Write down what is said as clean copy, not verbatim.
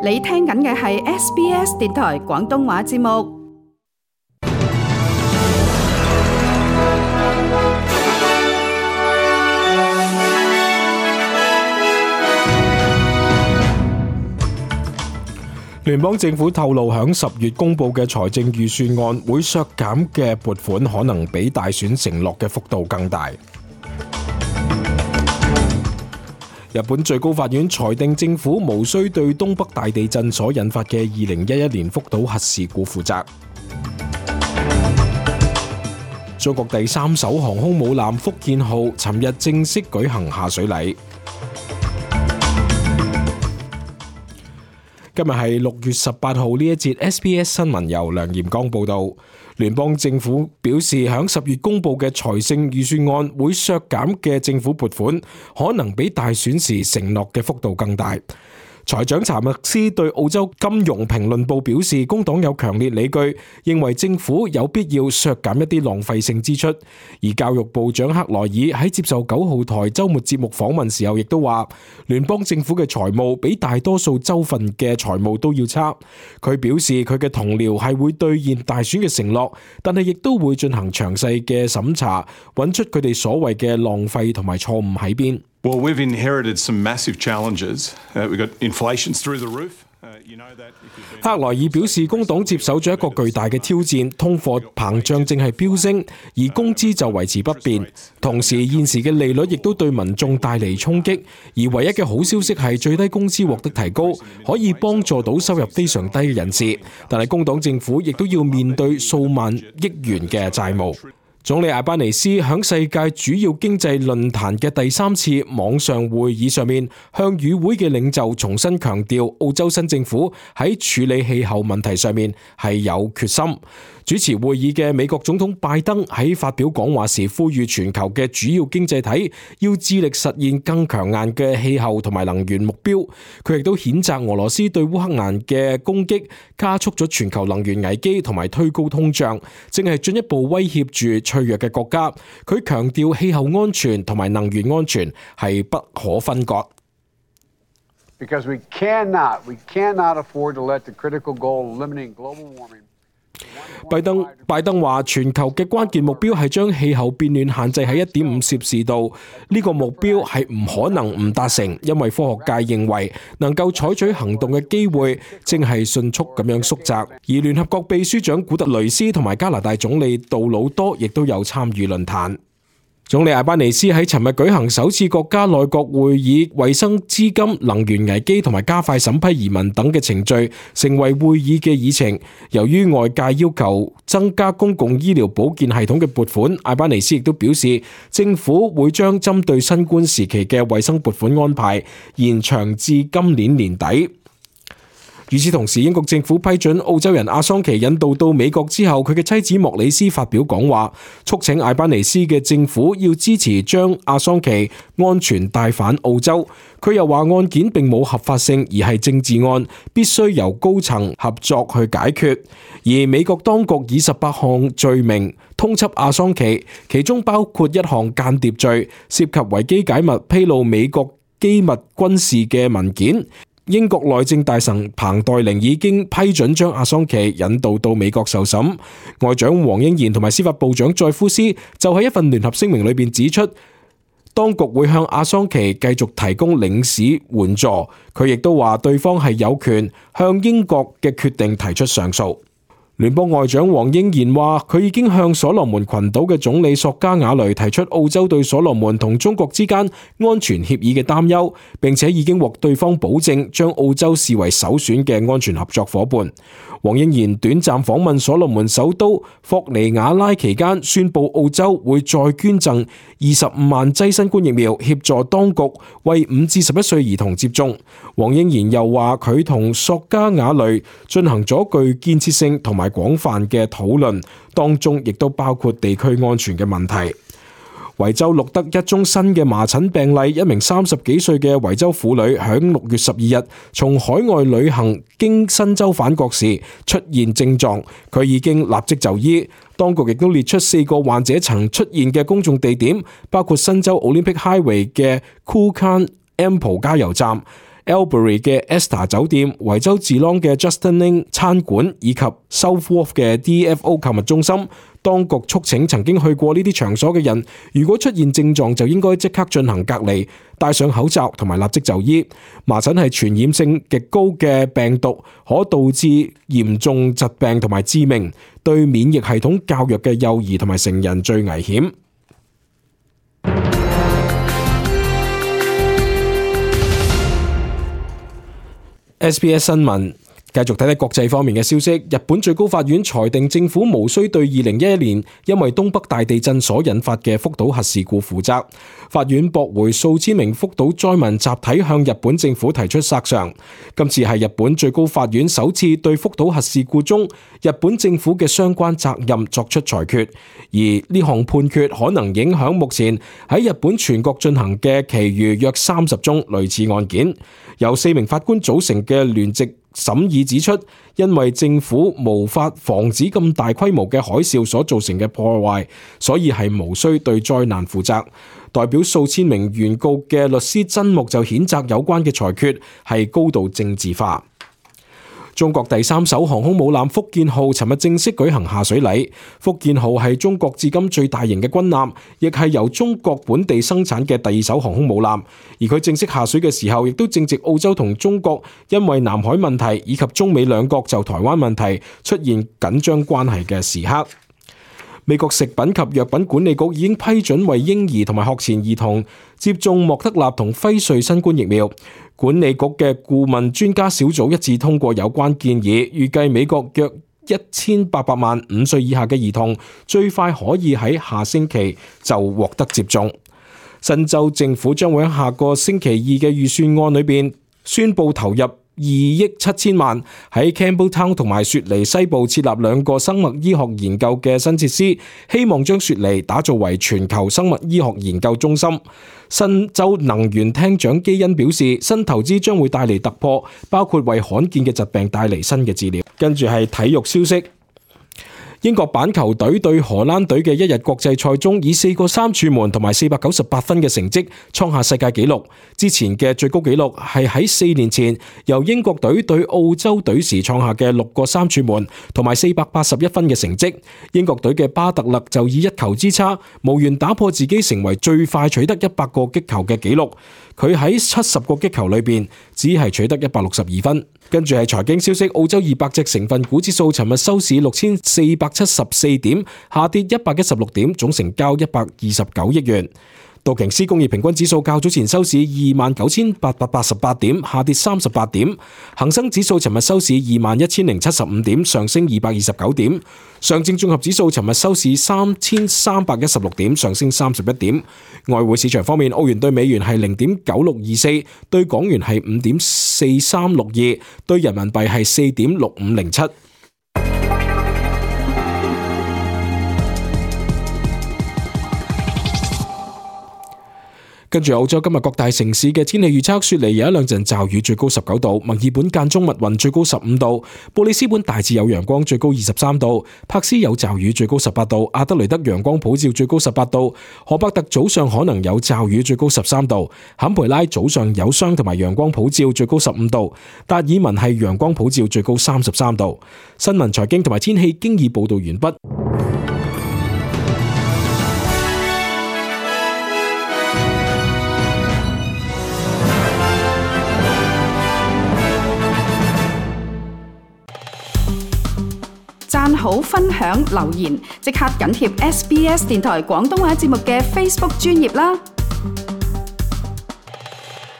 你聽緊嘅係 SBS 電台廣東話節目。聯邦政府透露，響10月公布嘅財政預算案會削減嘅撥款可能比大選承諾嘅幅度更大。日本最高法院裁定政府無需對東北大地震所引發嘅2011年福島核事故負責。中國第3艘航空母艦福建號尋日正式舉行下水禮。今日係6月18號，呢一節 SBS 新聞由梁炎剛報道。聯邦政府表示，響10月公布嘅財政預算案會削減嘅政府撥款，可能比大選時承諾嘅幅度更大。財長查默斯對澳洲金融評論報表示，工黨有強烈理據，認為政府有必要削減一啲浪費性支出。而教育部長克萊爾喺接受9號台週末節目訪問時候，亦都話聯邦政府嘅財務比大多數州份嘅財務都要差。佢表示佢嘅同僚係會兌現大選嘅承諾，但係亦都會進行詳細嘅審查，揾出佢哋所謂嘅浪費同埋錯誤喺邊。Well, we've inherited some massive challenges. We've got inflation's through the roof. 克萊爾表示，工黨接手咗一個巨大嘅挑戰，通貨膨脹正係飆升，而工資就維持不變。同時，現時嘅利率亦都對民眾帶嚟衝擊。而唯一嘅好消息係最低工資獲得提高，可以幫助到收入非常低嘅人士。但係工黨政府亦都要面對數萬億元嘅債務。總理艾班尼斯響世界主要經濟論壇嘅第3次網上會議上面，向與會嘅領袖重新強調，澳洲新政府喺處理氣候問題上面係有決心。主持會議嘅美國總統拜登喺發表講話時，呼籲全球嘅主要經濟體要致力實現更強硬嘅氣候同埋能源目標。佢亦都譴責俄羅斯對烏克蘭嘅攻擊，加速咗全球能源危機同埋推高通脹，正係進一步威脅住脆弱嘅國家。佢強調氣候安全同埋能源安全係不可分割。Because we cannot afford to let the critical goal of limiting global warming。拜登話全球嘅關鍵目標係將氣候變暖限制喺1.5攝氏度，呢個目標係唔可能唔達成，因為科學界認為能夠採取行動嘅機會正係迅速咁樣縮窄。而聯合國秘書長古特雷斯同埋加拿大總理杜魯多亦都有參與論壇。總理艾班尼斯喺尋日舉行首次國家內閣會議，衛生、資金、能源危機同埋加快審批移民等嘅程序成為會議嘅議程。由於外界要求增加公共醫療保健系統嘅撥款，艾班尼斯亦都表示政府會將針對新冠時期嘅衛生撥款安排延長至今年年底。與此同時，英國政府批准澳洲人阿桑奇引渡到美國之後，佢嘅妻子莫里斯發表講話，促請艾班尼斯嘅政府要支持將阿桑奇安全帶返澳洲。佢又話案件並冇合法性，而係政治案，必須由高層合作去解決。而美國當局以18項罪名通緝阿桑奇，其中包括1項間諜罪，涉及維基解密披露美國機密軍事嘅文件。英國內政大臣彭黛玲已經批准將阿桑奇引渡到美國受審。外長黃英賢同埋司法部長載夫斯就喺一份聯合聲明裏邊指出，當局會向阿桑奇繼續提供領事援助。佢亦都話對方係有權向英國嘅決定提出上訴。聯邦外長黃英賢話，佢已經向所羅門群島嘅總理索加瓦雷提出澳洲對所羅門同中國之間安全協議嘅擔憂，並且已經獲對方保證將澳洲視為首選嘅安全合作夥伴。黃英賢短暫訪問所羅門首都霍尼亞拉期間，宣布澳洲會再捐贈25萬劑新冠疫苗，協助當局為5至11歲兒童接種。黃英賢又話，佢同索加瓦雷進行咗具建設性同埋廣泛嘅討論，當中亦都包括地區安全嘅問題。維州錄得一宗新嘅麻疹病例，一名30幾歲嘅維州婦女喺6月12日從海外旅行經新州返國時出現症狀，佢已經立即就醫。當局亦都列出4個患者曾出現嘅公眾地點，包括新州 Olympic Highway 嘅 Kulkan Ample 加油站、Albury 嘅 Esta 酒店、維州治朗嘅 Justin Ling 餐館以及 South Wharf 嘅 DFO 購物中心。當局促請曾經去過呢啲場所嘅人，如果出現症狀就應該即刻進行隔離，戴上口罩同埋立即就醫。麻疹係傳染性極高嘅病毒，可導致嚴重疾病同埋致命，對免疫系統較弱嘅幼兒同埋成人最危險。SBS 新聞繼續睇睇國際方面嘅消息。日本最高法院裁定政府無需對2011年因為東北大地震所引發嘅福島核事故負責。法院駁回數千名福島災民集體向日本政府提出索償。今次係日本最高法院首次對福島核事故中日本政府嘅相關責任作出裁決，而呢項判決可能影響目前喺日本全國進行嘅其餘約30宗類似案件。由4名法官組成嘅聯席審議指出，因為政府無法防止咁大規模嘅海嘯所造成嘅破壞，所以係無需對災難負責。代表數千名原告嘅律師真木就譴責有關嘅裁決係高度政治化。中國第3艘航空母艦福建號尋日正式舉行下水禮。福建號係中國至今最大型嘅軍艦，亦係由中國本地生產嘅第2艘航空母艦。而佢正式下水嘅時候，亦都正值澳洲同中國因為南海問題以及中美兩國就台灣問題出現緊張關係嘅時刻。美國食品及藥品管理局已經批准為嬰兒同埋學前兒童接種莫德納同輝瑞新冠疫苗。管理局嘅顧問專家小組一致通過有關建議，預計美國約1800萬5歲以下嘅兒童最快可以喺下星期就獲得接種。新州政府將會喺下個星期2嘅預算案裏邊宣布投入2億7千萬喺 Campbelltown 同埋雪梨西部設立2個生物醫學研究嘅新設施，希望將雪梨打造為全球生物醫學研究中心。新州能源廳長基恩表示，新投資將會帶嚟突破，包括為罕見嘅疾病帶嚟新嘅治療。跟住係體育消息。英國板球隊對荷蘭隊嘅一日國際賽中，以4個3柱門同埋498分嘅成績創下世界紀錄。之前嘅最高紀錄係喺4年前由英國隊對澳洲隊時創下嘅6個3柱門同埋481分嘅成績。英國隊嘅巴特勒就以1球之差無緣打破自己成為最快取得100個擊球嘅紀錄。佢喺70個擊球裏邊只係取得162分。跟住係財經消息，澳洲200隻成分股指數尋日收市6474點，下跌116點，總成交129億元。道瓊斯工業平均指數較早前收市29,888點，下跌38點。恒生指數尋日收市21,075點，上升229點。上證綜合指數尋日收市3,316點，上升31點。外匯市場方面，澳元對美元係0.9624，對港元係5.4362，對人民幣係4.6507。跟住澳洲今日各大城市嘅天氣預測，雪梨有一兩陣驟雨，最高19度；墨爾本間中密雲，最高15度；布里斯本大致有陽光，最高23度；柏斯有驟雨，最高18度；阿德雷德陽光普照，最高18度；荷伯特早上可能有驟雨，最高13度；坎培拉早上有霜同埋陽光普照，最高15度；達爾文係陽光普照，最高33度。新聞、財經同埋天氣經已報道完畢。讚好、分享、留言，即刻緊貼SBS 電台廣東話節目嘅 Facebook 專頁啦！